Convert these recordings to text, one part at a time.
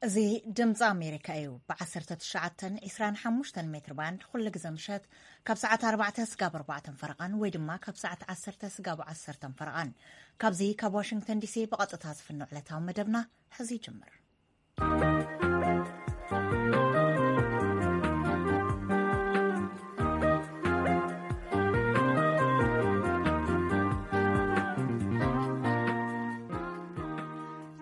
እዚ ድምፂ ኣሜሪካ እዩ። ብ19 25 ሜትር ባንድ ኩሉ ግዜ ምሸት ካብ ሰዓት ኣርባዕተ ስጋብ ኣርባዕተን ፈረቓን ወይ ድማ ካብ ሰዓት ዓሰርተ ስጋብ ዓሰርተን ፈረቓን፣ ካብዚ ካብ ዋሽንግተን ዲሲ ብቐጥታ ዝፍኖ ዕለታዊ መደብና ሕዚ ይጅምር።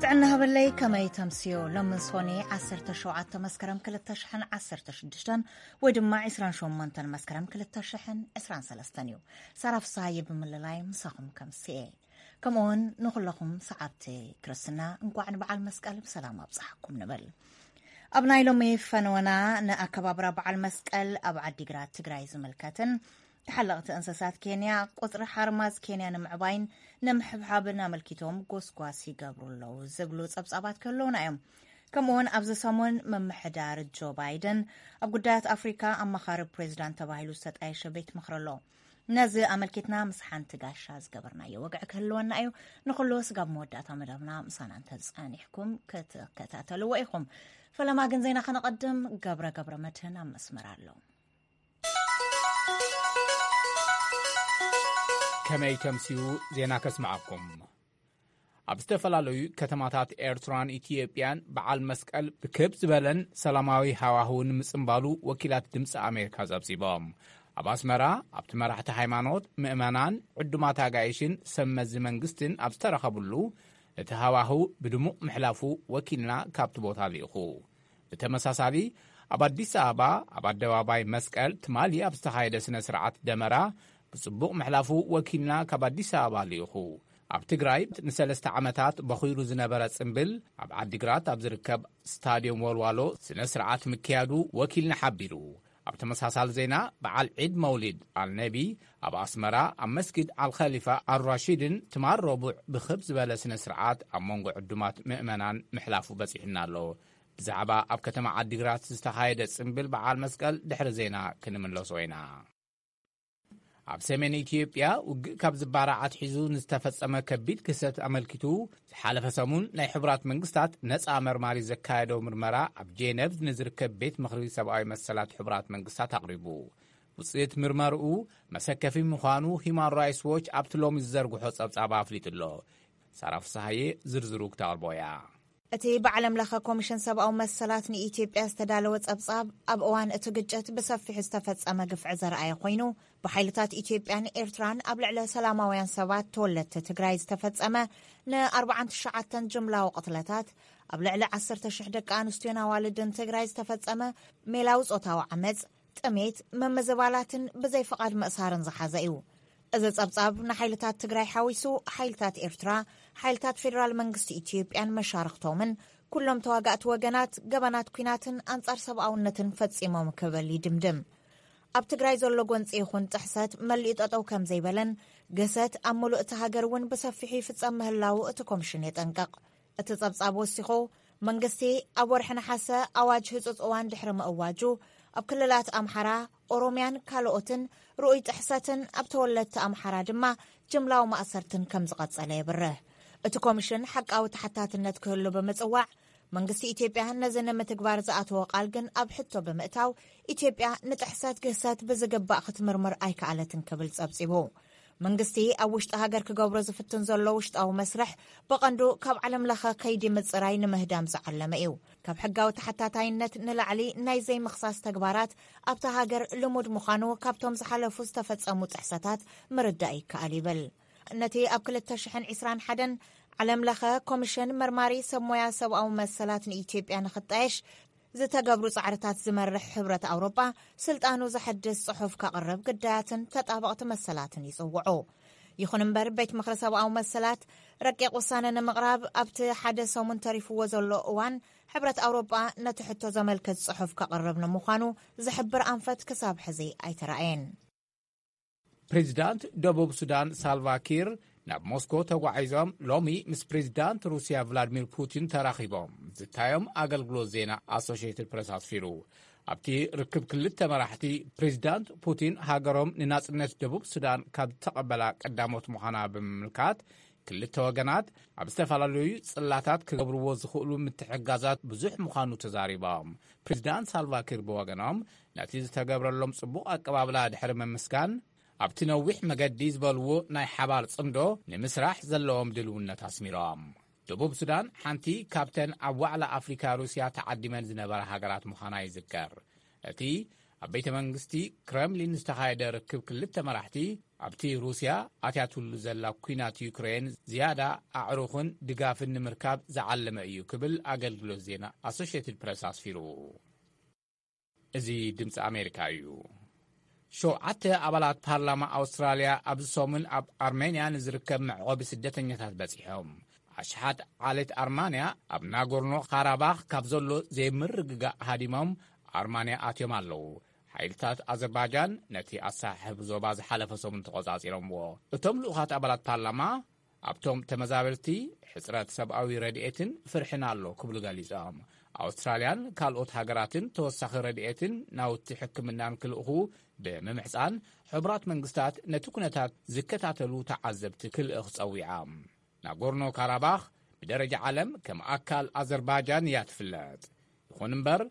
ጥዕና ሃበለይ፣ ከመይ ተምስዮ? ሎሚ ሶኒ ዓሰርተ ሸውዓተ መስከረም ክልተ ሽሕን ዓሰርተ ሽዱሽተን ወይ ድማ ዕስራን ሸሞንተን መስከረም ክልተ ሽሕን ዕስራን ሰለስተን እዩ። ሳራ ፍስሃየ ብምልላይ ምሳኹም ከምስየ። ከምኡውን ንኹለኹም ሰዓብቲ ክርስትና እንኳዕ ንበዓል መስቀል ብሰላም ኣብጽሓኩም ንብል። ኣብ ናይ ሎሚ ፈነወና፣ ንኣከባብራ በዓል መስቀል ኣብ ዓዲግራት ትግራይ ዝምልከትን ተሓለቕቲ እንስሳት ኬንያ ቁጽሪ ሓርማዝ ኬንያ ንምዕባይን ንምሕብሓብን ኣመልኪቶም ጎስጓስ ይገብሩ ኣለዉ ዝብሉ ጸብጻባት ክህልዉና እዮም። ከምኡውን ኣብዚ ሰሙን ምምሕዳር ጆ ባይደን ኣብ ጉዳያት ኣፍሪካ ኣማኻሪ ፕሬዚዳንት ተባሂሉ ዝተጣየሸ ቤት ምኽሪ ኣሎ። ነዚ ኣመልኪትና ምስ ሓንቲ ጋሻ ዝገበርናዮ ወግዒ ክህልወና እዩ። ንኹሉ ስጋብ መወዳእታ መደብና ምሳና እንተዝጸኒሕኩም ክትከታተልዎ ኢኹም። ፈለማ ግን ዜና ከነቐድም፣ ገብረ ገብረ መድህን ኣብ መስመር ኣሎ። ከመይ ተምስዩ? ዜና ከስምዓኩም። ኣብ ዝተፈላለዩ ከተማታት ኤርትራን ኢትዮጵያን በዓል መስቀል ብክብ ዝበለን ሰላማዊ ሃዋህውን ምጽንባሉ ወኪላት ድምፂ ኣሜሪካ ጸብጺቦም። ኣብ ኣስመራ ኣብቲ መራሕቲ ሃይማኖት፣ ምእመናን፣ ዕዱማት ኣጋይሽን ሰብ መዚ መንግስትን ኣብ ዝተረኸብሉ እቲ ሃዋህው ብድሙቕ ምሕላፉ ወኪልና ካብቲ ቦታ ልኢኹ። ብተመሳሳሊ ኣብ ኣዲስ ኣበባ ኣብ ኣደባባይ መስቀል ትማሊ ኣብ ዝተኻየደ ስነ ስርዓት ደመራ ብጽቡቕ ምሕላፉ ወኪልና ካብ ኣዲስ ኣበባ ልኢኹ። ኣብ ትግራይ ንሰለስተ ዓመታት በኺሩ ዝነበረ ጽምብል ኣብ ዓዲግራት ኣብ ዝርከብ ስታድዮም ወልዋሎ ስነ ስርዓት ምክያዱ ወኪልና ሓቢሩ። ኣብ ተመሳሳሊ ዜና በዓል ዒድ መውሊድ ኣልነቢ ኣብ ኣስመራ ኣብ መስጊድ ኣልኸሊፋ ኣልራሺድን ትማል ረቡዕ ብኽብ ዝበለ ስነ ስርዓት ኣብ መንጎ ዕዱማት ምእመናን ምሕላፉ በጺሑና ኣሎ። ብዛዕባ ኣብ ከተማ ዓዲግራት ዝተኻየደ ጽምብል በዓል መስቀል ድሕሪ ዜና ክንምለሶ ኢና። ኣብ ሰሜን ኢትዮጵያ ውግእ ካብ ዝባራዕ ኣትሒዙ ንዝተፈጸመ ከቢድ ክስተት ኣመልኪቱ ዝሓለፈ ሰሙን ናይ ሕቡራት መንግስታት ነጻ መርማሪ ዘካየዶ ምርመራ ኣብ ጄነቭ ንዝርከብ ቤት ምኽሪ ሰብኣዊ መሰላት ሕቡራት መንግስታት ኣቕሪቡ። ውጽኢት ምርመርኡ መሰከፊ ምዃኑ ሂማን ራይትስ ዎች ኣብቲ ሎሚ ዝዘርግሖ ጸብጻብ ኣፍሊጡ ኣሎ። ሳራ ፍስሃዬ ዝርዝሩ ክተቕርቦ እያ። እቲ ብዓለም ለኸ ኮሚሽን ሰብኣዊ መሰላት ንኢትዮጵያ ዝተዳለወ ጸብጻብ፣ ኣብ እዋን እቲ ግጭት ብሰፊሑ ዝተፈጸመ ግፍዒ ዘርኣየ ኮይኑ፣ ብሓይልታት ኢትዮጵያን ኤርትራን ኣብ ልዕሊ ሰላማውያን ሰባት ተወለድቲ ትግራይ ዝተፈጸመ ን49 ጅምላዊ ቅትለታት፣ ኣብ ልዕሊ 10,000 ደቂ ኣንስትዮን ኣዋልድን ትግራይ ዝተፈጸመ ሜላዊ ጾታዊ ዓመጽ፣ ጥሜት፣ ምምዝባላትን ብዘይ ፍቓድ ምእሳርን ዝሓዘ እዩ። እዚ ጸብጻብ ንሓይልታት ትግራይ ሓዊሱ፣ ሓይልታት ኤርትራ፣ ሓይልታት ፌደራል መንግስቲ ኢትዮጵያን መሻርኽቶምን፣ ኩሎም ተዋጋእቲ ወገናት፣ ገበናት ኲናትን ኣንጻር ሰብኣውነትን ፈጺሞም ክብል ይድምድም። ኣብ ትግራይ ዘሎ ጎንጺ ይኹን ጥሕሰት መሊኡ ጠጠው ከም ዘይበለን፣ ግህሰት ኣብ ምሉእ እቲ ሃገር እውን ብሰፊሑ ይፍጸም ምህላዉ እቲ ኮሚሽን የጠንቅቕ። እቲ ጸብጻብ ወሲኹ፣ መንግስቲ ኣብ ወርሒ ነሓሰ ኣዋጅ ህጹጽ እዋን ድሕሪ ምእዋጁ፣ ኣብ ክልላት ኣምሓራ፣ ኦሮምያን ካልኦትን ርኡይ ጥሕሰትን ኣብ ተወለድቲ ኣምሓራ ድማ ጅምላዊ ማእሰርትን ከም ዝቐጸለ የብርህ። እቲ ኮሚሽን ሓቃዊ ተሓታትነት ክህሉ ብምጽዋዕ፣ መንግስቲ ኢትዮጵያ ነዚ ንምትግባር ዝኣተዎ ቃል ግን ኣብ ሕቶ ብምእታው፣ ኢትዮጵያ ንጥሕሰት ግህሰት ብዝግባእ ክትምርምር ኣይከኣለትን ክብል ጸብጺቡ። መንግስቲ ኣብ ውሽጢ ሃገር ክገብሮ ዝፍትን ዘሎ ውሽጣዊ መስርሕ፣ ብቐንዱ ካብ ዓለም ለኸ ከይዲ ምጽራይ ንምህዳም ዝዓለመ እዩ። ካብ ሕጋዊ ተሓታታይነት ንላዕሊ ናይ ዘይምኽሳስ ተግባራት ኣብታ ሃገር ልሙድ ምዃኑ ካብቶም ዝሓለፉ ዝተፈጸሙ ጥሕሰታት ምርዳእ ይከኣል ይብል። ነቲ ኣብ ክልተ ሽሕን ዕስራን ሓደን ዓለም ለኸ ኮሚሽን መርማሪ ሰብ ሞያ ሰብኣዊ መሰላት ንኢትዮጵያ ንኽጣየሽ ዝተገብሩ ጻዕርታት ዝመርሕ ሕብረት ኣውሮጳ፣ ስልጣኑ ዘሐድስ ጽሑፍ ከቕርብ ግዳያትን ተጣበቕቲ መሰላትን ይጽውዑ። ይኹን እምበር፣ ቤት ምኽሪ ሰብኣዊ መሰላት ረቂቕ ውሳነ ንምቕራብ ኣብቲ ሓደ ሰሙን ተሪፍዎ ዘሎ እዋን፣ ሕብረት ኣውሮጳ ነቲ ሕቶ ዘመልክት ጽሑፍ ከቕርብ ንምዃኑ ዝሕብር ኣንፈት ክሳብ ሕዚ ኣይተራእየን። ፕሬዚዳንት ደቡብ ሱዳን ሳልቫ ኪር ናብ ሞስኮ ተጓዒዞም፣ ሎሚ ምስ ፕሬዚዳንት ሩስያ ቭላድሚር ፑቲን ተራኺቦም ዝታዮም ኣገልግሎት ዜና ኣሶሽየትድ ፕረስ ኣስፊሩ። ኣብቲ ርክብ ክልተ መራሕቲ፣ ፕሬዚዳንት ፑቲን ሃገሮም ንናጽነት ደቡብ ሱዳን ካብ ዝተቐበላ ቀዳሞት ምዃና ብምምልካት፣ ክልተ ወገናት ኣብ ዝተፈላለዩ ጽላታት ክገብርዎ ዝኽእሉ ምትሕጋዛት ብዙሕ ምዃኑ ተዛሪቦም። ፕሬዚዳንት ሳልቫኪር ብወገኖም፣ ነቲ ዝተገብረሎም ጽቡቕ ኣቀባብላ ድሕሪ ምምስጋን፣ ኣብቲ ነዊሕ መገዲ ዝበልዎ ናይ ሓባር ጽምዶ ንምስራሕ ዘለዎም ድልውነት ኣስሚሮም። ደቡብ ሱዳን ሓንቲ ካብተን ኣብ ዋዕላ ኣፍሪካ ሩስያ ተዓዲመን ዝነበራ ሃገራት ምዃና ይዝከር። እቲ ኣብ ቤተ መንግስቲ ክረምሊን ዝተኻየደ ርክብ ክልተ መራሕቲ፣ ኣብቲ ሩስያ ኣትያትሉ ዘላ ኲናት ዩክሬን ዝያዳ ኣዕሩኽን ድጋፍን ንምርካብ ዝዓለመ እዩ ክብል ኣገልግሎት ዜና ኣሶሽየትድ ፕረስ ኣስፊሩ። እዚ ድምፂ ኣሜሪካ እዩ። ሸውዓተ ኣባላት ፓርላማ ኣውስትራልያ ኣብዚ ሰሙን ኣብ ኣርሜንያ ንዝርከብ መዕቆቢ ስደተኛታት በፂሖም። ኣሽሓት ዓሌት ኣርማንያ ኣብ ናጎርኖ ካራባኽ ካብ ዘሎ ዘይምርግጋእ ሃዲሞም ኣርማንያ ኣትዮም ኣለዉ። ሓይልታት ኣዘርባጃን ነቲ ኣሳሕብ ዞባ ዝሓለፈ ሰሙን ተቖጻጺሮምዎ። እቶም ልኡኻት ኣባላት ፓርላማ ኣብቶም ተመዛበልቲ ሕጽረት ሰብኣዊ ረድኤትን ፍርሕን ኣሎ ክብሉ ገሊጾም። ኣውስትራልያን ካልኦት ሃገራትን ተወሳኺ ረድኤትን ናውቲ ሕክምናን ክልእኹ ብምምሕጻን፣ ሕቡራት መንግስታት ነቲ ኩነታት ዝከታተሉ ተዓዘብቲ ክልእኽ ጸዊዓ። ናጎርኖ ካራባኽ ብደረጃ ዓለም ከም ኣካል ኣዘርባጃን እያ ትፍለጥ። ይኹን እምበር፣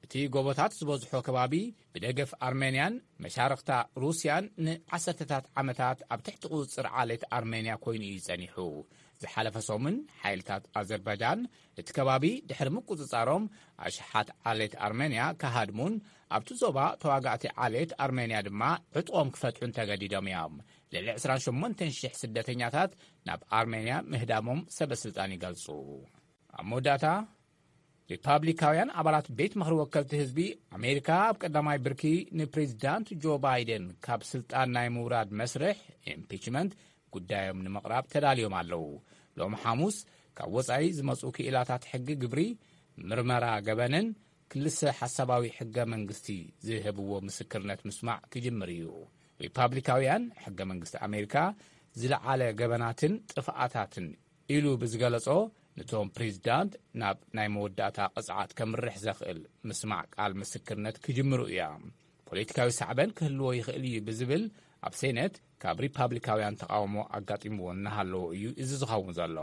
እቲ ጎቦታት ዝበዝሖ ከባቢ ብደገፍ ኣርሜንያን መሻርኽታ ሩስያን ንዓሰርተታት ዓመታት ኣብ ትሕቲ ቁጽጽር ዓሌት ኣርሜንያ ኮይኑ እዩ ጸኒሑ። ዝሓለፈ ሰሙን ሓይልታት ኣዘርባጃን እቲ ከባቢ ድሕሪ ምቁጽጻሮም፣ ኣሽሓት ዓሌት ኣርሜንያ ክሃድሙን ኣብቲ ዞባ ተዋጋእቲ ዓሌት ኣርሜንያ ድማ ዕጥቖም ክፈትሑን ተገዲዶም እዮም። ልዕሊ ዕስራን ሸሞንተን ሽሕ ስደተኛታት ናብ ኣርሜንያ ምህዳሞም ሰበ ስልጣን ይገልጹ። ኣብ መወዳእታ፣ ሪፓብሊካውያን ኣባላት ቤት ምኽሪ ወከልቲ ህዝቢ ኣሜሪካ ኣብ ቀዳማይ ብርኪ ንፕሬዚዳንት ጆ ባይደን ካብ ስልጣን ናይ ምውራድ መስርሕ፣ ኢምፒችመንት፣ ጉዳዮም ንምቕራብ ተዳልዮም ኣለዉ። ሎም ሓሙስ ካብ ወጻኢ ዝመጹ ክኢላታት ሕጊ ግብሪ፣ ምርመራ ገበንን ክልሰ ሓሳባዊ ሕገ መንግስቲ ዝህብዎ ምስክርነት ምስማዕ ክጅምር እዩ። ሪፓብሊካውያን ሕገ መንግስቲ ኣሜሪካ ዝለዓለ ገበናትን ጥፍኣታትን ኢሉ ብዝገለጾ፣ ነቶም ፕሬዚዳንት ናብ ናይ መወዳእታ ቅጽዓት ከምርሕ ዘኽእል ምስማዕ ቃል ምስክርነት ክጅምሩ እያ። ፖለቲካዊ ሳዕበን ክህልዎ ይኽእል እዩ ብዝብል ኣብ ሴኔት ካብ ሪፓብሊካውያን ተቃውሞ ኣጋጢምዎ እናሃለዎ እዩ እዚ ዝኸውን ዘሎ።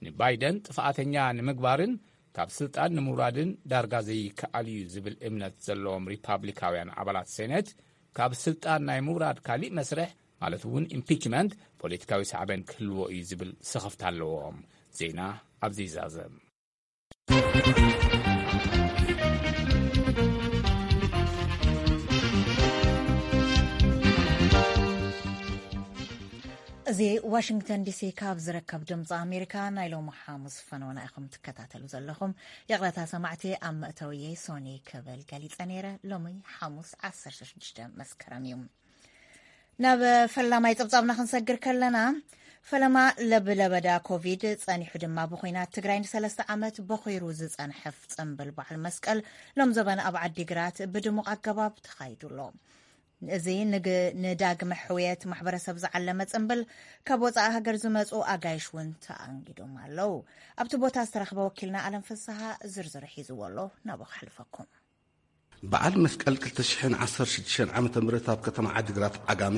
ንባይደን ጥፍኣተኛ ንምግባርን ካብ ስልጣን ንምውራድን ዳርጋ ዘይከኣል እዩ ዝብል እምነት ዘለዎም ሪፓብሊካውያን ኣባላት ሴኔት፣ ካብ ስልጣን ናይ ምውራድ ካሊእ መስርሕ፣ ማለት እውን ኢምፒችመንት፣ ፖለቲካዊ ሳዕበን ክህልዎ እዩ ዝብል ስኽፍታ ኣለዎም። ዜና ኣብዚ ይዛዘም። እዚ ዋሽንግተን ዲሲ ካብ ዝርከብ ድምፂ ኣሜሪካ ናይ ሎሚ ሓሙስ ፈነወና ኢኹም ትከታተሉ ዘለኹም። ይቕረታ ሰማዕቲ፣ ኣብ መእተውየይ ሶኒ ክብል ገሊፀ ነይረ። ሎሚ ሓሙስ ዓሰርተ ሽዱሽተ መስከረም እዩ። ናብ ፈላማይ ጸብጻብና ክንሰግር ከለና፣ ፈለማ ለብለበዳ ኮቪድ ጸኒሑ ድማ ብኹናት ትግራይ ንሰለስተ ዓመት በኺሩ ዝጸንሐ ጽምብል በዓል መስቀል ሎም ዘበን ኣብ ዓዲግራት ብድሙቕ ኣገባብ ተኻይዱ ኣሎ። እዚ ንግ-፣ ንዳግመ ሕውየት ማሕበረሰብ ዝዓለመ ጽምብል ካብ ወጻኢ ሃገር ዝመጹ ኣጋይሽ እውን ተኣንጊዶም ኣለዉ። ኣብቲ ቦታ ዝተረኽበ ወኪልና ኣለም ፍስሃ ዝርዝሩ ሒዝዎ ኣሎ። ናብኡ ከሕልፈኩም። በዓል መስቀል ክልተ ሽሕን ዓሰርተ ሽዱሽተን ዓመተ ምህረት ኣብ ከተማ ዓዲግራት ዓጋመ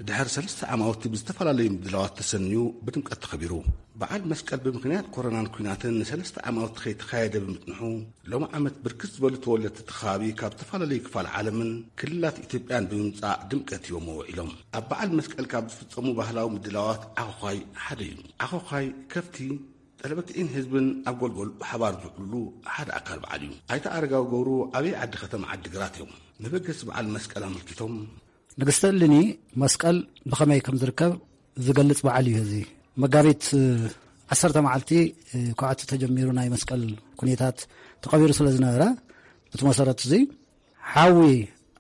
ድሕሪ ሰለስተ ዓማውቲ ብዝተፈላለዩ ምድላዋት ተሰንዩ ብድምቀት ተኸቢሩ። በዓል መስቀል ብምኽንያት ኮሮናን ኲናትን ንሰለስተ ዓማውቲ ከይተኻየደ ብምጽንሑ፣ ሎም ዓመት ብርክት ዝበሉ ተወለድቲ እቲ ከባቢ ካብ ዝተፈላለዩ ክፋል ዓለምን ክልላት ኢትዮጵያን ብምምጻእ ድምቀት ሂቦምዎ ውዒሎም። ኣብ በዓል መስቀል ካብ ዝፍጸሙ ባህላዊ ምድላዋት ዓኾዃይ ሓደ እዩ። ዓኾዃይ ከፍቲ ጠለበትዒን ህዝብን ኣብ ጎልጎል ብሓባር ዝውዕሉሉ ሓደ ኣካል በዓል እዩ። ኣይተ ኣረጋዊ ገብሩ ዓብዪ ዓዲ ከተማ ዓዲግራት እዮም። መበገሲ በዓል መስቀል ኣመልኪቶም፣ ንግስቲ እልኒ መስቀል ብኸመይ ከም ዝርከብ ዝገልጽ በዓል እዩ። እዚ መጋቢት ዓሰርተ መዓልቲ፣ እ፣ ኳዕቲ ተጀሚሩ ናይ መስቀል ኩነታት ተቐቢሩ ስለ ዝነበረ፣ በቲ መሰረት እዚ ሓዊ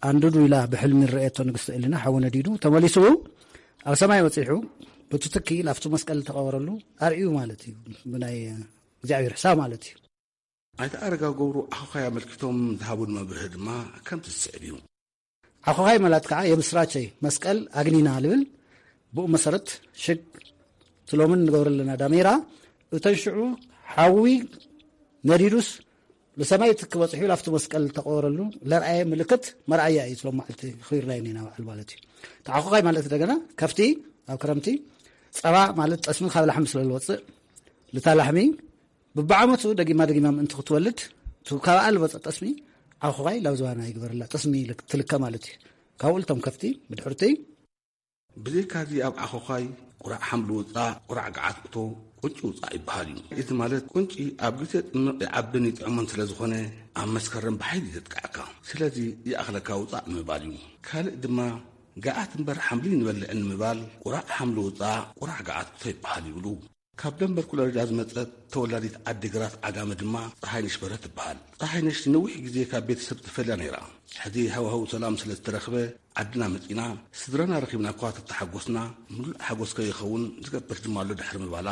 ኣንድዱ ኢላ ብሕልሚ ዝረኣየቶ ንግስቲ እልና ሓዊ ነዲዱ ተመሊሱ ኣብ ሰማይ በጺሑ፣ ብትትኪ ናብቲ መስቀል ዝተቐበረሉ ኣርእዩ ማለት እዩ። ብናይ እግዚኣብሔር ሕሳብ ማለት እዩ። ኣይተ ኣረጋዊ ገብሩ ዓኾዃይ ኣመልኪቶም ዝሃቡን መብርሂ ድማ ከምቲ ዝስዕብ እዩ። ዓኾዃይ ማለት ከዓ የምስራቸይ መስቀል ኣግኒና ልብል። ብኡ መሰረት ሽግ ትሎምን ንገብረ ኣለና ዳሜራ እተን ሽዑ ሓዊ ነዲዱስ ንሰማይ ትክ በፂሑ ላፍቲ መስቀል ተቆረሉ ለርኣየ ምልክት መርኣያ እዩ። ትሎም መዓልቲ ክሪርና ኢና በዓል ማለት እዩ። ተዓኾዃይ ማለት እንደገና ከፍቲ ኣብ ክረምቲ ጸባ ማለት ጠስሚ ካብ ላሕሚ ስለ ዝወጽእ፣ ልታ ላሕሚ ብብዓመቱ ደጊማ ደጊማ ምእንቲ ክትወልድ፣ እቲ ካብኣ ልወጸ ጠስሚ ዓኹኻይ ላብ ዝባና ይግበረላ፣ ጠስሚ ልክ-፣ ትልከ ማለት እዩ። ካብኡ ልቶም ከፍቲ ብድሕርቲ። ብዘይካዚ ኣብ ዓኾኻይ ቁራዕ ሓምሊ ውጻእ፣ ቁራዕ ገዓት እቶ፣ ቁንጪ ውጻእ ይበሃል እዩ። እዚ ማለት ቁንጪ ኣብ ግዜ ጽምቕ ይዓብን ይጥዕሞን ስለ ዝኾነ፣ ኣብ መስከረም ብሓይሊ ዘጥቅዐካ። ስለዚ ይኣኽለካ ውጻእ ንምባል እዩ። ካልእ ድማ ገዓት እምበር ሓምሊ ንበልዕን ንምባል፣ ቁራዕ ሓምሊ ውጻእ፣ ቁራዕ ገዓት እቶ ይበሃል ይብሉ። ካብ ደንበር ኩለርዳ ዝመጸት ተወላዲት ዓዲግራት ዓጋመ ድማ ጸሃይነሽ በርሀ ትበሃል። ጸሃይነሽ ንነዊሕ ግዜ ካብ ቤተሰብ ትፈልያ ነይራ። ሕዚ ሃዋህው ሰላም ስለ ዝተረኽበ ዓድና መጺና፣ ስድራና ረኺብና እኳ ተተሓጎስና፣ ምሉእ ሓጎስ ከይኸውን ዝገብር ድማ ኣሎ ድሕሪ ምባላ፣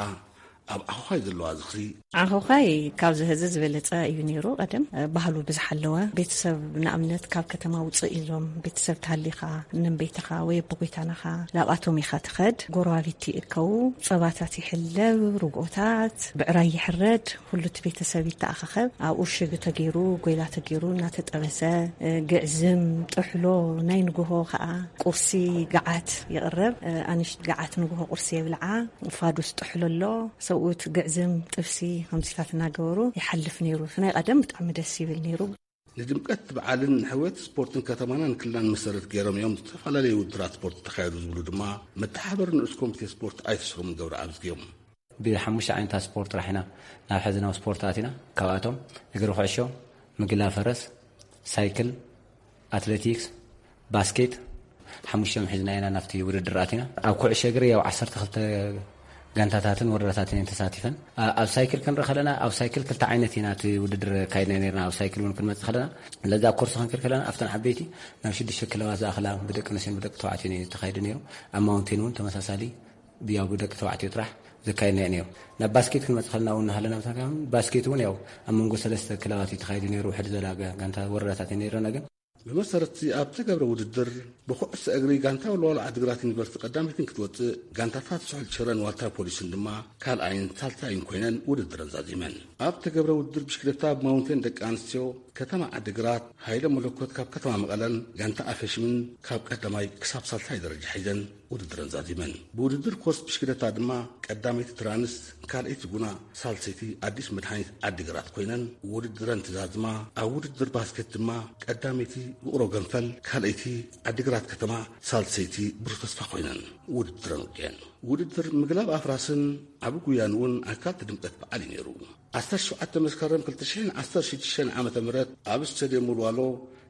ኣብ ዓኾኻይ ዘለዋ ዝኽሪ። ዓኾኻይ ካብዚ ሕዚ ዝበለጸ እዩ ነይሩ። ቀደም ባህሉ ብዝሓለወ ቤተሰብ፣ ንኣብነት ካብ ከተማ ውፅእ ኢሎም ቤተሰብ ተሃሊኻ፣ እነም ቤትኻ ወይ ኣቦ ጎይታናኻ ናብኣቶም ኢኻ ትኸድ። ጎረባብቲ ይእከቡ፣ ጸባታት ይሕለብ፣ ርግኦታት፣ ብዕራይ ይሕረድ፣ ኩሉ እቲ ቤተሰብ ይተኣኻኸብ። ኣብኡ ሽግ ተገይሩ፣ ጎይላ ተገይሩ እናተጠበሰ፣ ግዕዝም፣ ጥሕሎ፣ ናይ ንግሆ ኸኣ ቁርሲ ገዓት ይቕረብ። ኣንሽቲ ገዓት ንግሆ ቁርሲ የብልዓ። ፋዱስ ጥሕሎ ኣሎ፣ ሰብኡት ግዕዝም፣ ጥብሲ ከምዚታት እናገበሩ ይሓልፍ ነይሩ። እቲ ናይ ቀደም ብጣዕሚ ደስ ይብል ነይሩ። ንድምቀት በዓልን ንሕውየት ስፖርትን ከተማናን ክልላን መሰረት ገይሮም እዮም ዝተፈላለዩ ውድድራት ስፖርት ተኻየዱ ዝብሉ ድማ መተሓባበሪ ንኡስ ኮሚቴ ስፖርት ኣይተ ሰሎሞን ገብረኣብ ዝግዮም። ብሓሙሽተ ዓይነታት ስፖርት ጥራሕ ኢና ናብ ሕዚ ናብ ስፖርት ኣቲና። ካብኣቶም እግሪ ኩዕሾ፣ ምግላ ፈረስ፣ ሳይክል፣ ኣትሌቲክስ፣ ባስኬት፣ ሓሙሽቶም ሒዝና ኢና ናብቲ ውድድር ኣቲና። ኣብ ኩዕሾ እግሪ ያው ዓሰርተ ክልተ ጋንታታትን ወረዳታትን እየን ተሳቲፈን። ኣ-፣ ኣብ ሳይክል ክንርኢ ከለና፣ ኣብ ሳይክል ክልተ ዓይነት ኢና እቲ ውድድር ኣካይድና ነርና። ኣብ ሳይክል እውን ክንመጽእ ከለና፣ ለዛ ኮርስ ክንከድ ከለና፣ ኣብተን ዓበይቲ ናብ ሽዱሽተ ክለባት ዝኣኽላ ብደቂ ኣንስትዮን ብደቂ ተባዕትዮን እዩ ተኻይዱ ነይሩ። ኣብ ማውንቴን እውን ተመሳሳሊ ብያው ብደቂ ተባዕትዮ ጥራሕ ዘካየድናዮ ነይሩ። ናብ ባስኬት ክንመጽእ ከለና እውን እናሃለና፣ ብተደጋጋሚ ባስኬት እውን ያው ኣብ መንጎ ሰለስተ ክለባት እዩ ተኻይዱ ነይሩ። ውሕድ ዝበላ ጋ-፣ ጋንታ ወረዳታት እዩ ነይረና። ግን ብመሰረት እቲ ኣብ ተገብረ ውድድር ብኩዕሶ እግሪ ጋንታ ወልዋሎ ዓዲግራት ዩኒቨርሲቲ ቀዳመይትን ክትወጽእ፣ ጋንታታት ስሑል ሽረን ዋልታ ፖሊስን ድማ ካልኣይን ሳልሳይን ኮይነን ውድድረን ዛዚመን። ኣብ ተገብረ ውድድር ብሽክለታ ብማውንቴን ደቂ ኣንስትዮ ከተማ ዓዲግራት ሃይለ መለኮት ካብ ከተማ መቐለን ጋንታ ኣፈሽምን ካብ ቀዳማይ ክሳብ ሳልሳይ ደረጃ ሒዘን ውድድረን ዛዚመን። ብውድድር ኮርስ ብሽክለታ ድማ ቀዳመይቲ ትራንስ፣ ካልኣይቲ ጉና፣ ሳልሰይቲ ኣዲስ መድሃኒት ዓዲግራት ኮይነን ውድድረን ትዛዝማ። ኣብ ውድድር ባስኬት ድማ ቀዳመይቲ ውቕሮ ገንፈል፣ ካልኣይቲ ዓዲግራት ከተማ፣ ሳልሰይቲ ብሩህ ተስፋ ኮይነን ውድድረን ውድየን። ውድድር ምግላብ ኣፍራስን ዓቢ ጉያን እውን ኣካል እቲ ድምቀት በዓል እዩ ነይሩ። ዓሰርተ ሸውዓተ መስከረም ክልተ ሽሕን ዓሰርተ ሽዱሽተን ዓመተ ምህረት ኣብ ስቴድየም ወልዋሎ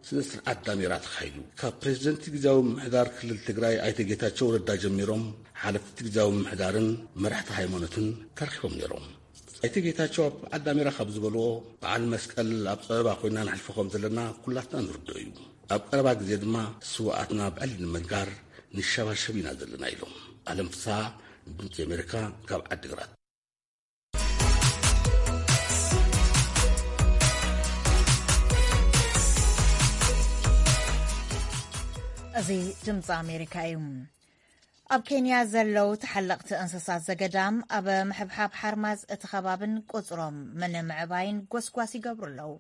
ስነ ስርዓት ዳሜራ ተኻይዱ። ካብ ፕሬዝደንት ግዝያዊ ምምሕዳር ክልል ትግራይ ኣይተ ጌታቸው ረዳ ጀሚሮም፣ ሓለፍቲ ግዝያዊ ምምሕዳርን መራሕቲ ሃይማኖትን ተረኺቦም ነይሮም። ኣይተ ጌታቸው ኣብ በዓል ዳሜራ ካብ ዝበልዎ፣ በዓል መስቀል ኣብ ጸበባ ኮይና ነሕልፎ ከም ዘለና ኩላትና ንርድኦ እዩ። ኣብ ቀረባ ግዜ ድማ ስውኣትና ብዕሊ ንምንጋር ንሸባሸብ ኢና ዘለና ኢሎም። ኣለም ፍስሃ፣ ድምጺ ኣሜሪካ፣ ካብ ዓዲግራት። እዚ ድምፂ ኣሜሪካ እዩ። ኣብ ኬንያ ዘለዉ ተሓለቕቲ እንስሳት ዘገዳም ኣብ ምሕብሓብ ሓርማዝ እቲ ከባብን ቁፅሮም ምንምዕባይን ጎስጓስ ይገብሩ ኣለዉ።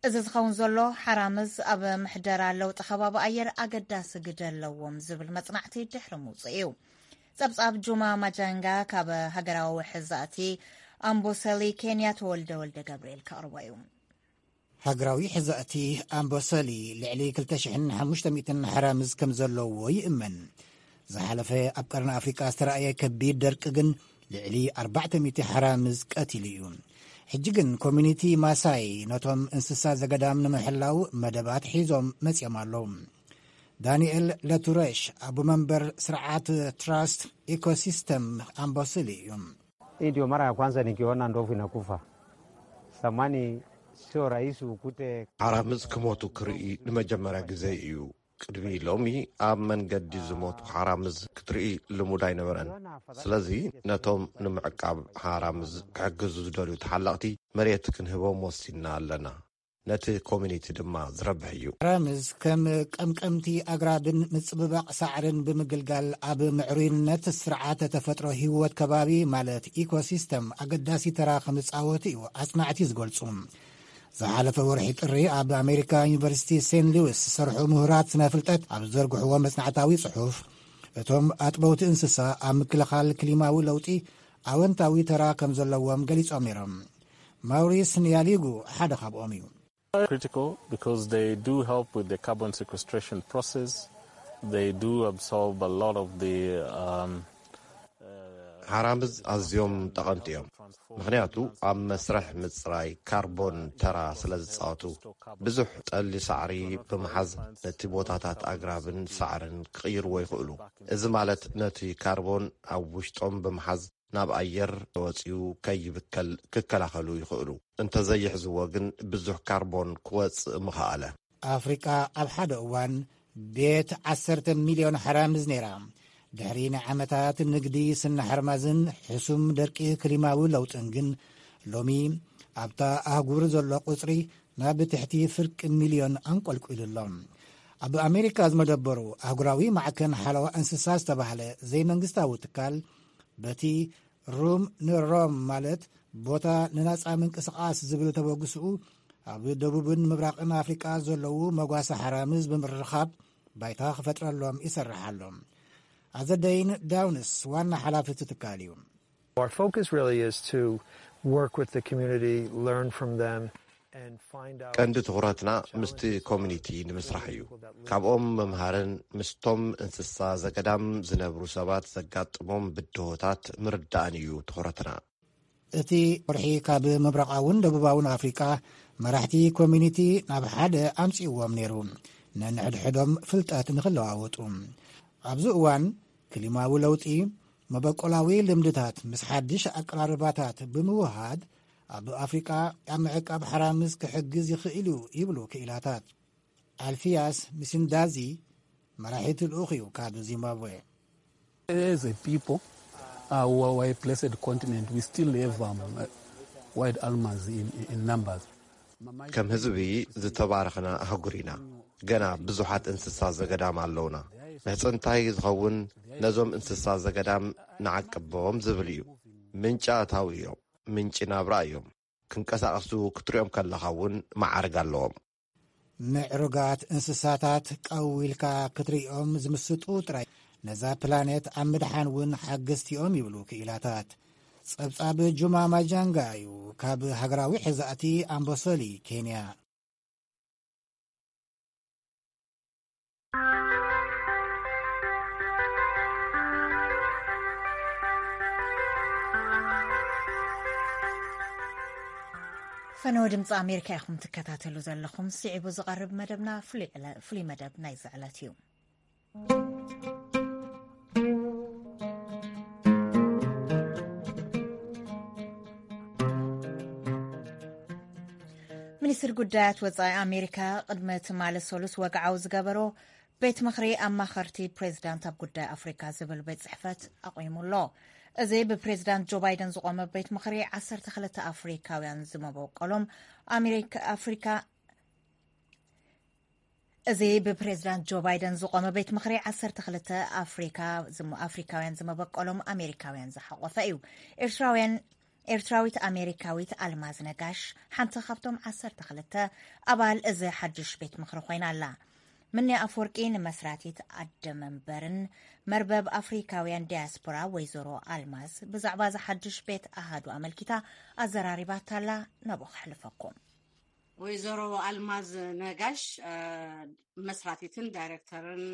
እዚ ዝኸውን ዘሎ ሓራምዝ ኣብ ምሕደራ ለውጢ ከባቢ ኣየር ኣገዳሲ ግደ ኣለዎም ዝብል መጽናዕቲ ድሕሪ ምውፅኡ እዩ። ጸብጻብ ጁማ ማጃንጋ ካብ ሃገራዊ ሕዛእቲ ኣምቦሰሊ ኬንያ ተወልደ ወልደ ገብርኤል ከቕርቦ እዩ። ሃገራዊ ሕዛእቲ ኣምቦሰሊ ልዕሊ ክልተ ሽሕን ሓሙሽተ ሚእትን ሓራምዝ ከም ዘለዎ ይእመን። ዝሓለፈ ኣብ ቀርኒ ኣፍሪቃ ዝተራእየ ከቢድ ደርቂ ግን ልዕሊ ኣርባዕተ ሚእቲ ሓራምዝ ቀቲሉ እዩ። ሕጂ ግን ኮሚኒቲ ማሳይ ነቶም እንስሳ ዘገዳም ንምሕላው መደባት ሒዞም መጺኦም ኣለዉ። ዳንኤል ለቱረሽ ኣቦ መንበር ስርዓት ትራስት ኢኮሲስተም ኣምቦስሊ እዩ። Hii ndio mara ya kwanza nikiona ndovu inakufa. Zamani sio rahisi ukute ሓራምዝ ክሞቱ ክርኢ ንመጀመርያ ግዜ እዩ። ቅድሚ ሎሚ ኣብ መንገዲ ዝሞቱ ሓራምዝ ክትርኢ ልሙድ ኣይነበረን። ስለዚ ነቶም ንምዕቃብ ሓራምዝ ክሕግዙ ዝደልዩ ተሓለቕቲ መሬት ክንህቦም ወሲንና ኣለና። ነቲ ኮሚኒቲ ድማ ዝረብሕ እዩ። ሓራምዝ ከም ቀምቀምቲ ኣግራብን ምጽብባቕ ሳዕርን ብምግልጋል ኣብ ምዕሩይነት ስርዓተ ተፈጥሮ ህይወት ከባቢ ማለት ኢኮሲስተም ኣገዳሲ ተራ ከም ዝጻወት እዩ ኣጽናዕቲ ዝገልጹ። ዝሓለፈ ወርሒ ጥሪ ኣብ ኣሜሪካ ዩኒቨርሲቲ ሴንት ሉዊስ ዝሰርሑ ምሁራት ስነ ፍልጠት ኣብ ዝዘርግሕዎ መጽናዕታዊ ጽሑፍ፣ እቶም ኣጥበውቲ እንስሳ ኣብ ምክልኻል ክሊማዊ ለውጢ ኣወንታዊ ተራ ከም ዘለዎም ገሊጾም ነይሮም። ማውሪስ ንያሊጉ ሓደ ካብኦም እዩ። Critical because they do help with the carbon sequestration process. They do absorb a lot of the um, ሓራምዝ ኣዝዮም ጠቐምቲ እዮም፣ ምኽንያቱ ኣብ መስርሕ ምፅራይ ካርቦን ተራ ስለ ዝፃወቱ። ብዙሕ ጠሊ ሳዕሪ ብምሓዝ ነቲ ቦታታት ኣግራብን ሳዕርን ክቕይርዎ ይኽእሉ። እዚ ማለት ነቲ ካርቦን ኣብ ውሽጦም ብምሓዝ ናብ ኣየር ተወፂኡ ከይብከል ክከላኸሉ ይኽእሉ። እንተዘይሕዝዎ ግን ብዙሕ ካርቦን ክወፅእ ምኸኣለ። ኣፍሪቃ ኣብ ሓደ እዋን ቤት ዓሰርተ ሚልዮን ሓራምዝ ነይራ። ድሕሪ ናይ ዓመታት ንግዲ ስነ ሓርማዝን ሕሱም ደርቂ ክሊማዊ ለውጥን ግን፣ ሎሚ ኣብታ ኣህጉር ዘሎ ቁጽሪ ናብ ትሕቲ ፍርቂ ሚልዮን ኣንቆልቂሉ ኣሎ። ኣብ ኣሜሪካ ዝመደበሩ ኣህጉራዊ ማዕከን ሓለዋ እንስሳ ዝተባህለ ዘይመንግስታዊ ትካል፣ በቲ ሩም ንሮም ማለት ቦታ ንናጻ ምንቅስቓስ ዝብል ተበግስኡ፣ ኣብ ደቡብን ምብራቕን ኣፍሪቃ ዘለዉ መጓሰ ሓራምዝ ብምርኻብ ባይታ ክፈጥረሎም ይሰርሕ ኣሎ። ኣዘደይን ዳውንስ ዋና ሓላፊ እቲ ትካል እዩ። Our focus really is to work with the community, learn from them, and find out. ቀንዲ ትኹረትና ምስቲ ኮሚኒቲ ንምስራሕ እዩ። ካብኦም ምምሃርን ምስቶም እንስሳ ዘገዳም ዝነብሩ ሰባት ዘጋጥሞም ብድሆታት ምርዳእን እዩ ትኹረትና። እቲ ወርሒ ካብ ምብራቓውን ደቡባውን ኣፍሪቃ መራሕቲ ኮሚኒቲ ናብ ሓደ ኣምጺእዎም ነይሩ፣ ነንሕድሕዶም ፍልጠት ንኽለዋወጡ። ኣብዚ እዋን ክሊማዊ ለውጢ፣ መበቆላዊ ልምድታት ምስ ሓድሽ ኣቀራርባታት ብምውሃድ ኣብ ኣፍሪቃ ኣብ ምዕቃብ ሓራምዝ ክሕግዝ ይኽእል እዩ ይብሉ ክኢላታት። ኣልፊያስ ሚሲንዳዚ መራሒቲ ልኡኽ እዩ ካብ ዚምባብዌ። As a people, uh, we are a blessed continent. We still have um, uh, wild animals in, in numbers. ከም ህዝቢ ዝተባረኽና ኣህጉር ኢና። ገና ብዙሓት እንስሳ ዘገዳም ኣለውና። ምሕጽንታይ ዝኸውን ነዞም እንስሳ ዘገዳም ንዓቅቦም ዝብል እዩ። ምንጪ ኣታዊ እዮም፣ ምንጪ ናብራ እዮም። ክንቀሳቐሱ ክትሪኦም ከለኻ እውን መዓርግ ኣለዎም። ምዕሩጋት እንስሳታት ቀው ኢልካ ክትርእዮም ዝምስጡ ጥራይ ነዛ ፕላኔት ኣብ ምድሓን እውን ሓገዝቲኦም ይብሉ ክኢላታት። ጸብጻብ ጁማ ማጃንጋ እዩ ካብ ሃገራዊ ሕዛእቲ ኣምቦሶሊ ኬንያ። ፈነወ ድምፂ ኣሜሪካ ኢኹም ትከታተሉ ዘለኹም። ስዒቡ ዝቐርብ መደብና ፍሉይ ዕለ- ፍሉይ መደብ ናይዚ ዕለት እዩ። ሚኒስትሪ ጉዳያት ወጻኢ ኣሜሪካ ቅድሚ ትማሊ ሰሉስ ወግዓዊ ዝገበሮ ቤት ምኽሪ ኣማኸርቲ ፕሬዚዳንት ኣብ ጉዳይ ኣፍሪካ ዝብል ቤት ጽሕፈት ኣቑሙ ኣሎ። እዚ ብፕሬዚዳንት ጆ ባይደን ዝቖመ ቤት ምኽሪ ዓሰርተ ክልተ ኣፍሪካውያን ዝመበቆሎም ኣሜሪካ ኣፍሪካ እዚ ብፕሬዚዳንት ጆ ባይደን ዝቖመ ቤት ምኽሪ ዓሰርተ ክልተ ኣፍሪካ ኣፍሪካውያን ዝመበቆሎም ኣሜሪካውያን ዝሓቆፈ እዩ። ኤርትራውያን ኤርትራዊት ኣሜሪካዊት ኣልማዝ ነጋሽ ሓንቲ ካብቶም ዓሰርተ ክልተ ኣባል እዚ ሓድሽ ቤት ምኽሪ ኮይና ኣላ። ምንያ ኣፍወርቂ ንመስራቲት ኣደ መንበርን መርበብ ኣፍሪካውያን ዲያስፖራ ወይዘሮ ኣልማዝ ብዛዕባ እዚ ሓድሽ ቤት ኣሃዱ ኣመልኪታ ኣዘራሪባታላ። ናብኡ ከሕልፈኩም። ወይዘሮ ኣልማዝ ነጋሽ መስራቲትን ዳይሬክተርን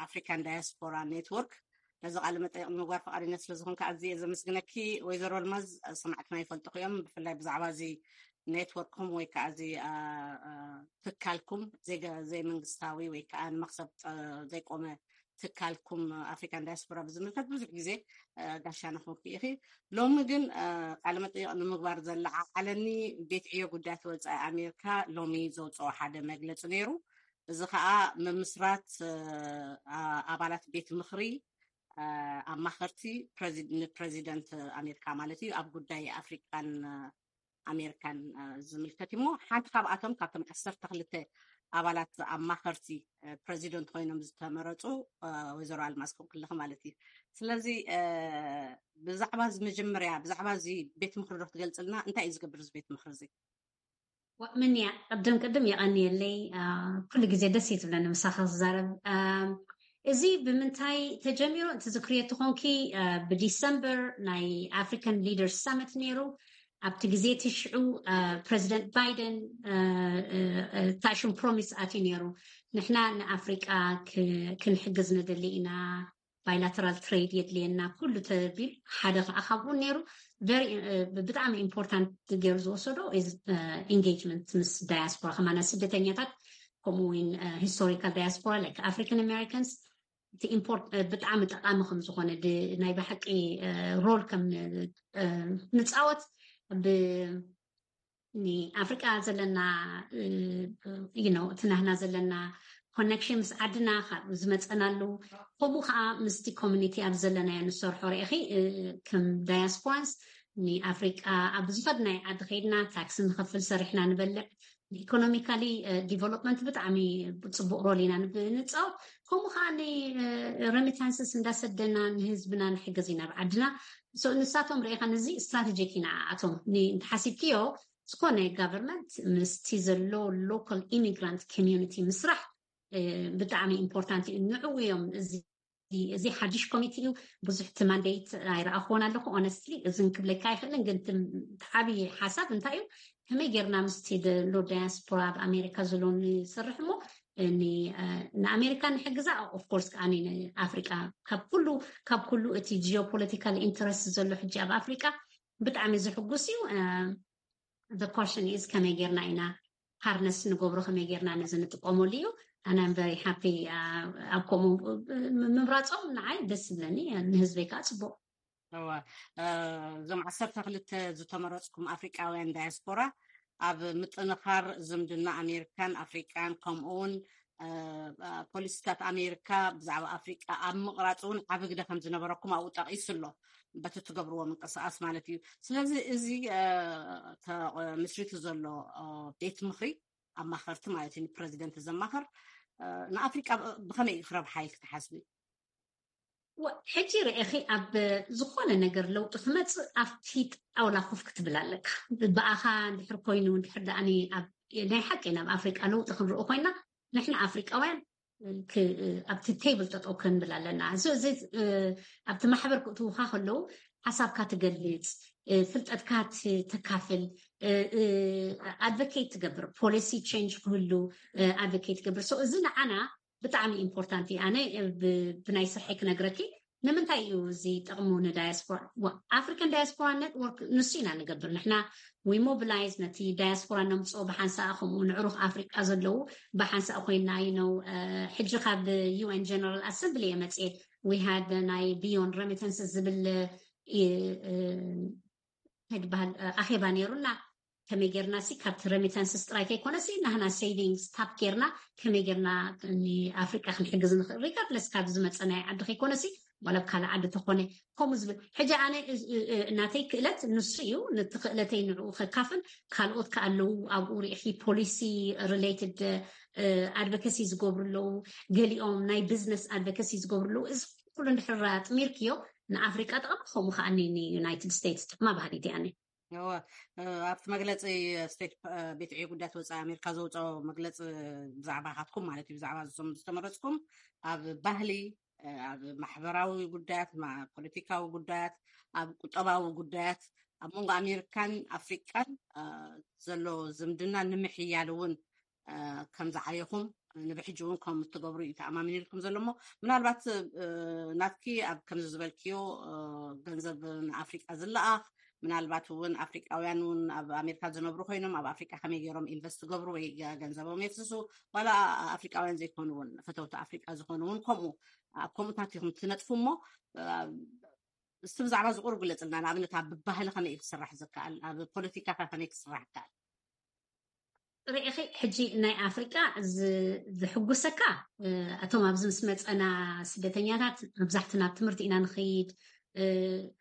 ኣፍሪካን ዳያስፖራ ኔትወርክ ነዚ ቃለ መጠይቕ ንምግባር ፈቃደኛ ስለዝኾንካ ኣዝየ ዘመስግነኪ። ወይዘሮ ኣልማዝ ሰማዕትና ይፈልጥኹ እዮም፣ ብፍላይ ብዛዕባ እዚ ኔትወርክኩም ወይ ከዓ እዚ ትካልኩም ዘይመንግስታዊ ወይ ከዓ ንመክሰብ ዘይቆመ ትካልኩም ኣፍሪካን ዳያስፖራ ብዝምልከት ብዙሕ ግዜ ጋሻ ንኽንኩ ኢኺ። ሎሚ ግን ቃለ መጠይቕ ንምግባር ዘለዓዓለኒ ቤት ዕዮ ጉዳያት ወፃኢ ኣሜሪካ ሎሚ ዘውፅኦ ሓደ መግለፂ ነይሩ። እዚ ከዓ ምምስራት ኣባላት ቤት ምኽሪ ኣማኸርቲ ንፕረዚደንት ኣሜሪካ ማለት እዩ ኣብ ጉዳይ ኣፍሪካን ኣሜሪካን ዝምልከት እሞ ሓንቲ ካብኣቶም ካብቶም ዓሰርተ ክልተ ኣባላት ኣማኸርቲ ፕረዚደንት ኮይኖም ዝተመረፁ ወይዘሮ ኣልማዝ ኮንክልኽ ማለት እዩ። ስለዚ ብዛዕባ እዚ መጀመርያ ብዛዕባ እዚ ቤት ምኽሪ ዶ ክትገልፅልና? እንታይ እዩ ዝገብር እዚ ቤት ምኽሪ እዚ? ምንያ ቅድም ቅድም የቐንየለይ። ኩሉ ግዜ ደስ እዩ ዝብለኒ ምሳኻ ክዛረብ። እዚ ብምንታይ ተጀሚሩ? እቲ ዝክርዮ ተኾንኪ፣ ብዲሰምበር ናይ ኣፍሪካን ሊደርስ ሳመት ነይሩ። ኣብቲ ግዜ እቲ ሽዑ ፕረዚደንት ባይደን ታሽም ፕሮሚስ ኣትዩ ነይሩ። ንሕና ንኣፍሪቃ ክንሕግዝ ንደሊ ኢና፣ ባይላተራል ትሬድ የድልየና ኩሉ ተቢል ሓደ ከዓ ካብኡ ነይሩ። ብጣዕሚ ኢምፖርታንት ገይሩ ዝወሰዶ ኢንጌጅመንት ምስ ዳያስፖራ ከማና ስደተኛታት፣ ከምኡ እውን ሂስቶሪካል ዳያስፖራ ላይክ ኣፍሪካን ኣሜሪካንስ። እቲ ኢምፖርት ብጣዕሚ ጠቃሚ ከም ዝኾነ ናይ ብሓቂ ሮል ከም ንፃወት ብ ንኣፍሪቃ ዘለና እቲ ናህና ዘለና ኮነክሽን ምስ ዓድና ካብ ዝመፀና ኣለዉ። ከምኡ ከዓ ምስቲ ኮሚኒቲ ኣብ ዘለናዮ ንሰርሖ ርኢኺ ከም ዳያስፖራንስ ንኣፍሪቃ ኣብ ዝኸድናይ ዓዲ ከይድና ታክሲ ንኸፍል፣ ሰሪሕና ንበልዕ፣ ኢኮኖሚካሊ ዲቨሎፕመንት ብጣዕሚ ፅቡቅ ሮል ኢና ንፃወት። ከምኡ ከዓ ንረሚታንስስ እንዳሰደና ንህዝብና ንሕግዝ ኢና ኣብ ዓድና። ንሳቶም ርኢኻ ነዚ ስትራቴጂክ ኢና ኣቶም እንተሓሲብክዮ ዝኾነ ጋቨርንመንት ምስቲ ዘሎ ሎካል ኢሚግራንት ኮሚኒቲ ምስራሕ ብጣዕሚ ኢምፖርታንት እዩ። ንዕኡ እዮም እዚ ሓድሽ ኮሚቴ እዩ። ብዙሕ እቲ ማንዴት ኣይረኣኽዎን ኣለኹ ኦነስትሊ፣ እዝን ክብለካ ኣይኽእልን። ግን ዓብዪ ሓሳብ እንታይ እዩ? ከመይ ጌርና ምስቲ ዘሎ ዳያስፖራ ኣብ ኣሜሪካ ዘሎ ንሰርሕ እሞ ንኣሜሪካ ንሕግዛ። ኦፍኮርስ ከዓ ንኣፍሪቃ ካብ ኩሉ ካብ ኩሉ እቲ ጂኦፖለቲካል ኢንተረስት ዘሎ ሕጂ ኣብ ኣፍሪቃ ብጣዕሚ ዝሕጉስ እዩ። The question is ከመይ ጌርና ኢና ሃርነስ ንገብሮ፣ ከመይ ጌርና ነዚ ንጥቀመሉ እዩ። ኣናም ቨሪ ሃፒ ኣብ ከምኡ ምምራፆም ንዓይ ደስ ዝብለኒ፣ ንህዝበይ ከዓ ፅቡቅ። እወ፣ እዞም ዓሰርተ ክልተ ዝተመረፅኩም ኣፍሪቃውያን ዳያስፖራ ኣብ ምጥንኻር ዝምድና ኣሜሪካን ኣፍሪቃን ከምኡውን ፖሊሲታት ኣሜሪካ ብዛዕባ ኣፍሪቃ ኣብ ምቕራፅ እውን ዓብ ግደ ከም ዝነበረኩም ኣብኡ ጠቂሱ ኣሎ፣ በቲ ትገብርዎ ምንቅስቃስ ማለት እዩ። ስለዚ እዚ ምስሪቱ ዘሎ ቤት ምክሪ ኣማኸርቲ ማለት እዩ፣ ንፕረዚደንት ዘማኸር ንኣፍሪቃ ብኸመይ እዩ ክረብሓ ኢልክ ትሓስቢ? ሕጂ ርኢኺ ኣብ ዝኾነ ነገር ለውጢ ክመፅእ ኣብቲ ጣውላ ኮፍ ክትብል ኣለካ። ብኣኻ እንድሕር ኮይኑ እንድሕር ደኣ ናይ ሓቂ ናብ ኣፍሪቃ ለውጢ ክንርኢ ኮይና ንሕና ኣፍሪቃውያን ኣብቲ ቴብል ጠጠው ክንብል ኣለና። እዚ ኣብቲ ማሕበር ክእትውካ ከለዉ ሓሳብካ ትገልፅ፣ ፍልጠትካ ተካፍል፣ ኣድቮኬት ትገብር፣ ፖሊሲ ቼንጅ ክህሉ ኣድቮኬት ትገብር። እዚ ንዓና ብጣዕሚ ኢምፖርታንት እዩ። ኣነ ብናይ ስርሐይ ክነግረኪ ንምንታይ እዩ እዚ ጥቕሙ ንዳያስፖራ? ኣፍሪካን ዳያስፖራ ኔትወርክ ንሱ ኢና ንገብር ንሕና። ዊ ሞቢላይዝ ነቲ ዳያስፖራ ነምፅኦ ብሓንሳእ፣ ከምኡ ንዕሩኽ ኣፍሪቃ ዘለዉ ብሓንሳእ ኮይና እዩ ነው። ሕጂ ካብ ዩኤን ጀነራል ኣሰምብሊ እየ መፅኤ። ዊ ሃድ ናይ ቢዮን ረሚተንስ ዝብል ይበሃል ኣኼባ ነይሩና። ከመይ ጌርና ሲ ካብቲ ረሚታንስስ ጥራይ ከይኮነሲ ናህና ሴቪንግስ ታፕ ጌርና ከመይ ጌርና ንኣፍሪቃ ክንሕግዝ ንኽእል፣ ሪጋርድለስ ካብ ዝመፀ ናይ ዓዲ ከይኮነሲ ዋላ ኣብ ካልእ ዓዲ ተኾነ ከምኡ ዝብል። ሕጂ ኣነ ናተይ ክእለት ንሱ እዩ። ነቲ ክእለተይ ንዕኡ ከካፍል፣ ካልኦት ከኣለዉ ኣብኡ ርኢኺ ፖሊሲ ሪሌትድ ኣድቮኬሲ ዝገብሩ ኣለዉ፣ ገሊኦም ናይ ቢዝነስ ኣድቮኬሲ ዝገብሩ ኣለዉ። እዚ ኩሉ እንድሕር ኣጥሚርክዮ ንኣፍሪቃ ጥቕሚ፣ ከምኡ ከዓ ንዩናይትድ ስቴትስ ጥቕማ ባህሊት እያ። እወ፣ ኣብቲ መግለፂ ስቴት ቤት ዕዮ ጉዳያት ወፃኢ ኣሜሪካ ዘውፅኦ መግለፂ ብዛዕባ ካትኩም ማለት እዩ፣ ብዛዕባ እዞም ዝተመረፅኩም ኣብ ባህሊ፣ ኣብ ማሕበራዊ ጉዳያት፣ ፖለቲካዊ ጉዳያት፣ ኣብ ቁጠባዊ ጉዳያት፣ ኣብ መንጎ ኣሜሪካን ኣፍሪቃን ዘሎ ዝምድና ንምሕያል እውን ከም ዝዓየኹም ንብሕጂ እውን ከም እትገብሩ እዩ ተኣማሚኒልኩም ዘሎ። እሞ ምናልባት ናትኪ ኣብ ከምዚ ዝበልክዮ ገንዘብ ንኣፍሪቃ ዝለኣኽ፣ ምናልባት እውን ኣፍሪቃውያን እውን ኣብ ኣሜሪካ ዝነብሩ ኮይኖም ኣብ ኣፍሪቃ ከመይ ገይሮም ኢንቨስት ትገብሩ ወይ ገንዘቦም የፍስሱ፣ ዋላ ኣፍሪቃውያን ዘይኮኑ እውን ፈተውቲ ኣፍሪቃ ዝኾኑ እውን ከምኡ ኣብ ከምኡታት ኢኹም ትነጥፉ። እሞ እስቲ ብዛዕባ ዝቁሩ ግለፅልና። ንኣብነት ኣብ ባህሊ ከመይ ክስራሕ ዝከኣል፣ ኣብ ፖለቲካታት ከመይ ክስራሕ ይከኣል? ርኢኺ ሕጂ ናይ ኣፍሪቃ ዝሕጉሰካ፣ እቶም ኣብዚ ምስ መፀና ስደተኛታት መብዛሕትና ኣብ ትምህርቲ ኢና ንኸይድ፣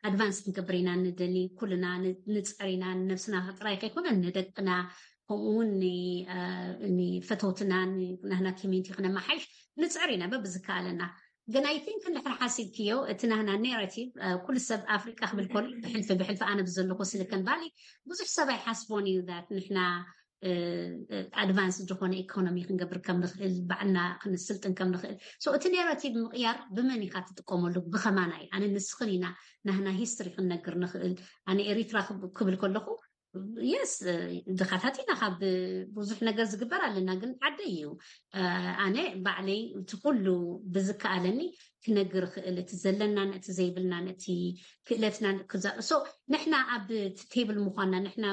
ኣድቫንስ ክንገብር ኢና ንደሊ። ኩልና ንፅዕር ኢና፣ ንነብስና ጥራይ ከይኮነ ንደቅና፣ ከምኡ እውን ንፈተውትና ናህና ኮሚኒቲ ክነመሓይሽ ንፅዕር ኢና በብዝከኣለና። ግን ኣይ ቲንክ እንድሕር ሓሲብክዮ እቲ ናህና ኔራቲቭ ኩሉ ሰብ ኣፍሪቃ ክብል ከሎ ብሕልፊ ብሕልፊ ኣነ ብዘለኩ ሲሊኮን ቫሊ ብዙሕ ሰብ ኣይሓስቦን እዩ ት ንሕና ኣድቫንስ ዝኾነ ኢኮኖሚ ክንገብር ከም ንኽእል፣ ባዕልና ክንስልጥን ከም ንኽእል። So እቲ ኔራቲቭ ምቕያር ብመን ኢኻ ትጥቀመሉ? ብኸማናይ? ኣነ ንስኽን ኢና ናህና ሂስትሪ ክንነግር ንኽእል። ኣነ ኤሪትራ ክብ- ክብል ከለኹ የስ ድኻታት ኢና፣ ካብ ብዙሕ ነገር ዝግበር ኣለና፣ ግን ዓደይ እዩ። ኣነ ባዕለይ እቲ ኩሉ ብዝከኣለኒ ክነግር ክእል፣ እቲ ዘለናን እቲ ዘይብልናን፣ እቲ ክእለትናን ክዛ- so ንሕና ኣብ ቴብል ምኳንና፣ ንሕና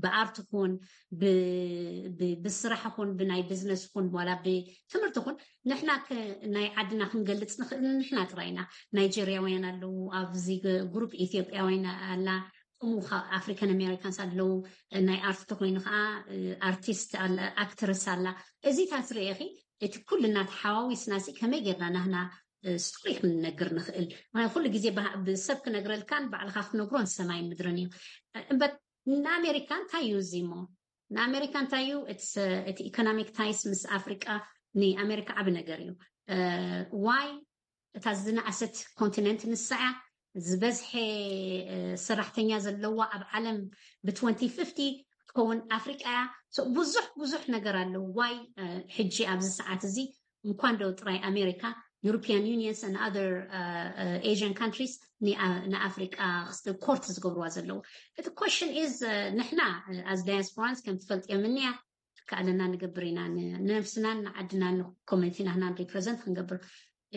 ብኣርት ኹን ብስራሕ ኹን ብናይ ቢዝነስ ኹን ዋላ ብትምህርቲ ኹን ንሕና ናይ ዓድና ክንገልፅ ንኽእል ንሕና ጥራይና። ናይጀርያውያን ኣለዉ ኣብዚ ግሩፕ፣ ኢትዮጵያውያን ኣላ፣ ከምኡ ከዓ ኣፍሪካን ኣሜሪካንስ ኣለዉ። ናይ ኣርት ተኮይኑ ከዓ ኣርቲስት ኣክትረስ ኣላ። እዚታት ርኢኺ እቲ ኩልና ተሓዋዊስና ሲ ከመይ ጌርና ናህና ስቶሪ ክንነግር ንኽእል? ምክንያቱ ኩሉ ግዜ ብሰብ ክነግረልካን ባዕልካ ክትነግሮን ሰማይ ምድርን እዩ። እምበር ንኣሜሪካ እንታይ እዩ እዚ እሞ? ንኣሜሪካ እንታይ እዩ? እቲ ኢኮኖሚክ ታይስ ምስ ኣፍሪቃ ንኣሜሪካ ዓቢ ነገር እዩ። ዋይ እታ ዝነኣሰት ኮንቲነንት ንሳ እያ። ዝበዝሐ ሰራሕተኛ ዘለዋ ኣብ ዓለም ብ2050 ክትከውን ኣፍሪቃ እያ። ብዙሕ ብዙሕ ነገር ኣሎ። ዋይ ሕጂ ኣብዚ ሰዓት እዚ እንኳን ደው ጥራይ ኣሜሪካ፣ European Unions and other Asian countries ንኣፍሪቃ ኮርት ዝገብርዋ ዘለዉ። እቲ ኮሽን ኢዝ ንሕና ኣዝ ዳያስፖራንስ ከም ትፈልጥዮ ምንያ ከኣለና ንገብር ኢና፣ ንነብስናን ንዓድናን ንኮሚኒቲና ህናን ሪፕረዘንት ክንገብር።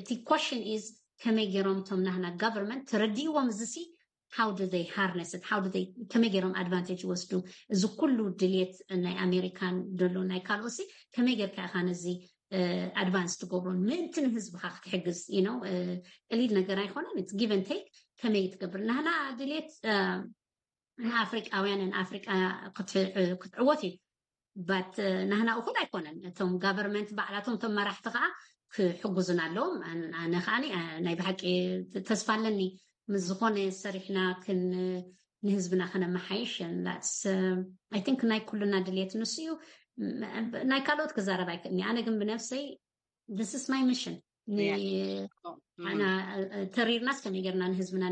እቲ ኮሽን ኢዝ ከመይ ገይሮም እቶም ናህና ጋቨርንመንት ተረዲእዎም ዝሲ how do they harness it? How do they ከመይ ገይሮም ኣድቫንቴጅ ይወስዱ? እዚ ኩሉ ድልየት ናይ ኣሜሪካን ደሎ ናይ ካልኦሲ ከመይ ጌርካ ኢኻ ነዚ ኣድቫንስ ትገብሮ ምእንቲ ንህዝብኻ ክትሕግዝ? You know ቀሊል ነገር ኣይኮነን። It's give and take። ከመይ ትገብር? ናህና ድልየት ንኣፍሪቃውያን ንኣፍሪቃ ክትዕወት እዩ። ባት ናህና እኹል ኣይኮነን። እቶም ጋቨርንመንት ባዕላቶም እቶም መራሕቲ ከዓ ክሕጉዙና ኣለዎም። ኣነ ከዓ ናይ ብሓቂ ተስፋ ኣለኒ ምስ ዝኾነ ሰሪሕና ክን ንህዝብና ከነመሓይሽ። I think ናይ ኩሉና ድልየት ንሱ እዩ። ናይ ካልኦት ክዛረብ ኣይክእልኒ። ኣነ ግን ብነፍሰይ this is my mission። ኣና ተሪርናስ ከመይ ጌርና ንህዝብና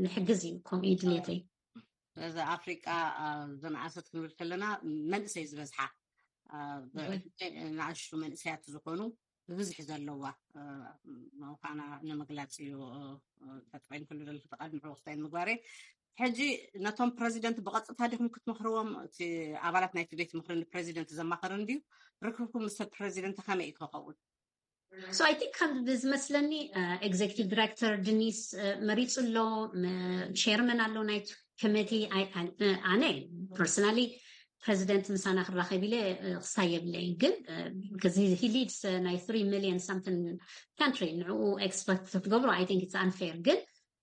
ንሕግዝ እዩ። ከምኡ እዩ ድልየተይ። እዚ ኣፍሪቃ ዝነኣሰት ክንብል ከለና መንእሰይ ዝበዝሓ ንኣሽቱ መንእሰያት ዝኾኑ ብብዝሒ ዘለዋ ምዃና ንምግላፅ እዩ። ተጠቂም ክሉ ዘለኩ ተቃድሚ ዕወክታይን ምግባሬ። ሕጂ ነቶም ፕረዚደንት ብቐጥታ ዲኹም ክትመኽርዎም? እቲ ኣባላት ናይቲ ቤት ምኽሪ ንፕረዚደንት ዘማኸርን ድዩ? ርክብኩም ምስ ፕረዚደንት ከመይ እዩ ክኸውን? So I think ከም ዝመስለኒ ኤግዜክቲቭ ዲሬክተር ድኒስ መሪፁ ኣሎ፣ ቸርመን ኣሎ ናይቲ ኮሚቲ። ኣነ ፐርሰናሊ ፕረዚደንት ምሳና ክራኸብ ኢለ ክሳብ የብለይ፣ ግን he leads ናይ three million something country፣ ንዕኡ ኤክስፐክት ክትገብሮ I think it's unfair። ግን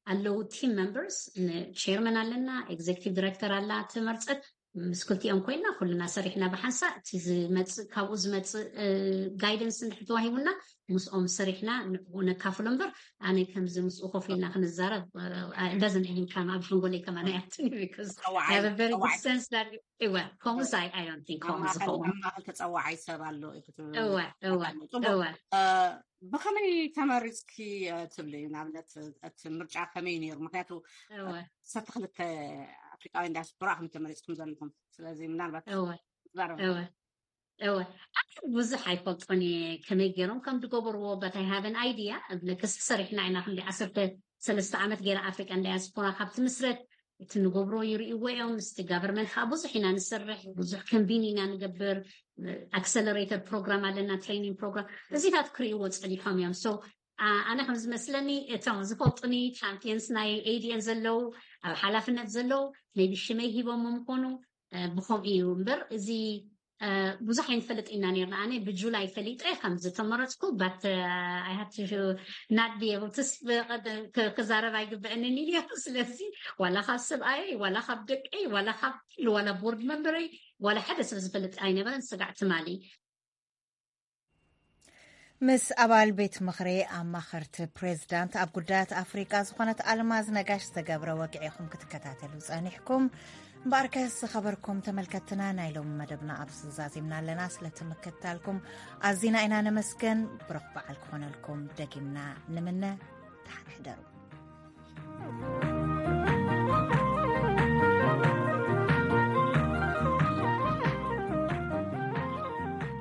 ኣለዉ ቲም ሜምበርስ፣ ንቸርመን ኣለና፣ ኤግዜክቲቭ ዲሬክተር ኣላ ትመርፀት። ምስ ክልቲኦም ኮይና ኩልና ሰሪሕና ብሓንሳእ እቲ ዝመፅእ ካብኡ ዝመፅእ ጋይደንስ እንድሕር ተዋሂቡና ምስኦም ሰሪሕና ንዕኡ ነካፍሎ እምበር ኣነ ከምዚ ምስኡ ኮፍ ኢልና ክንዛረብ doesn't even come ኣብ ሓንጎለይ ከማን ኣያትኒ። Because I have a very good sense that እወ ከምኡስ I don't think ከምኡ ዝኸውን። ማእከል ተፀዋዓይ ሰብ ኣሎ እዩ ክትብል እወ እወ እወ ብኸመይ ተመሪፅኪ ትብሊ? ንኣብነት እቲ ምርጫ ከመይ ነይሩ? ምክንያቱ እወ ሰተ ክልተ ኣፍሪቃውያን ዲያስፖራ ከም ተመሪፅኩም ዘለኹም፣ ስለዚ ምናልባት እወ ትዛረብ እወ እወ ኣነ ብዙሕ ኣይፈልጦን እየ ከመይ ገይሮም ከም ዝገበርዎ፣ but I have an idea። እብለክስ ሰሪሕና ኢና ክንዲ ዓሰርተ ሰለስተ ዓመት ገይረ ኣፍሪቃን ዳያስፖራ ካብ ትምስረት እቲ ንገብሮ ይርእይዎ እዮም። ምስቲ ጋቨርንመንት ከዓ ብዙሕ ኢና ንሰርሕ፣ ብዙሕ ኮንቪን ኢና ንገብር። ኣክሰለሬተር ፕሮግራም ኣለና፣ ትሬኒንግ ፕሮግራም፣ እዚታት ክርእይዎ ፀኒሖም እዮም። So ኣነ ከም ዝመስለኒ እቶም ዝፈልጡኒ ቻምፒየንስ ናይ ኤዲኤን ዘለዉ ኣብ ሓላፍነት ዘለዉ maybe ሽመይ ሂቦም ምኮኑ ብከምኡ እዩ እምበር እዚ ብዙሕ ኣይንፈልጥ ኢና ነርና። ኣነ ብጁላይ ፈሊጠ ከም ዝተመረፅኩ but I have to not be able to ክዛረብ ኣይግበአንን እዩ። ስለዚ ዋላ ካብ ሰብኣየይ ዋላ ካብ ደቀይ ዋላ ካብ ዋላ ቦርድ መንበረይ ዋላ ሓደ ሰብ ዝፈልጥ ኣይነበረን። ስጋዕ ትማሊ ምስ ኣባል ቤት ምኽሪ ኣማኸርቲ ፕሬዝዳንት ኣብ ጉዳያት ኣፍሪቃ ዝኾነት ኣልማዝ ነጋሽ ዝተገብረ ወግዒ ኢኹም ክትከታተሉ ጸኒሕኩም። እምበኣርከስ ዝኸበርኩም ተመልከትና ናይ ሎሚ መደብና ኣብዚ ዛዚምና ኣለና። ስለቲ ምክትታልኩም ኣዚና ኢና ነመስገን። ብሩኽ በዓል ክኾነልኩም ደጊምና ንምነ። ደሓን ሕደሩ።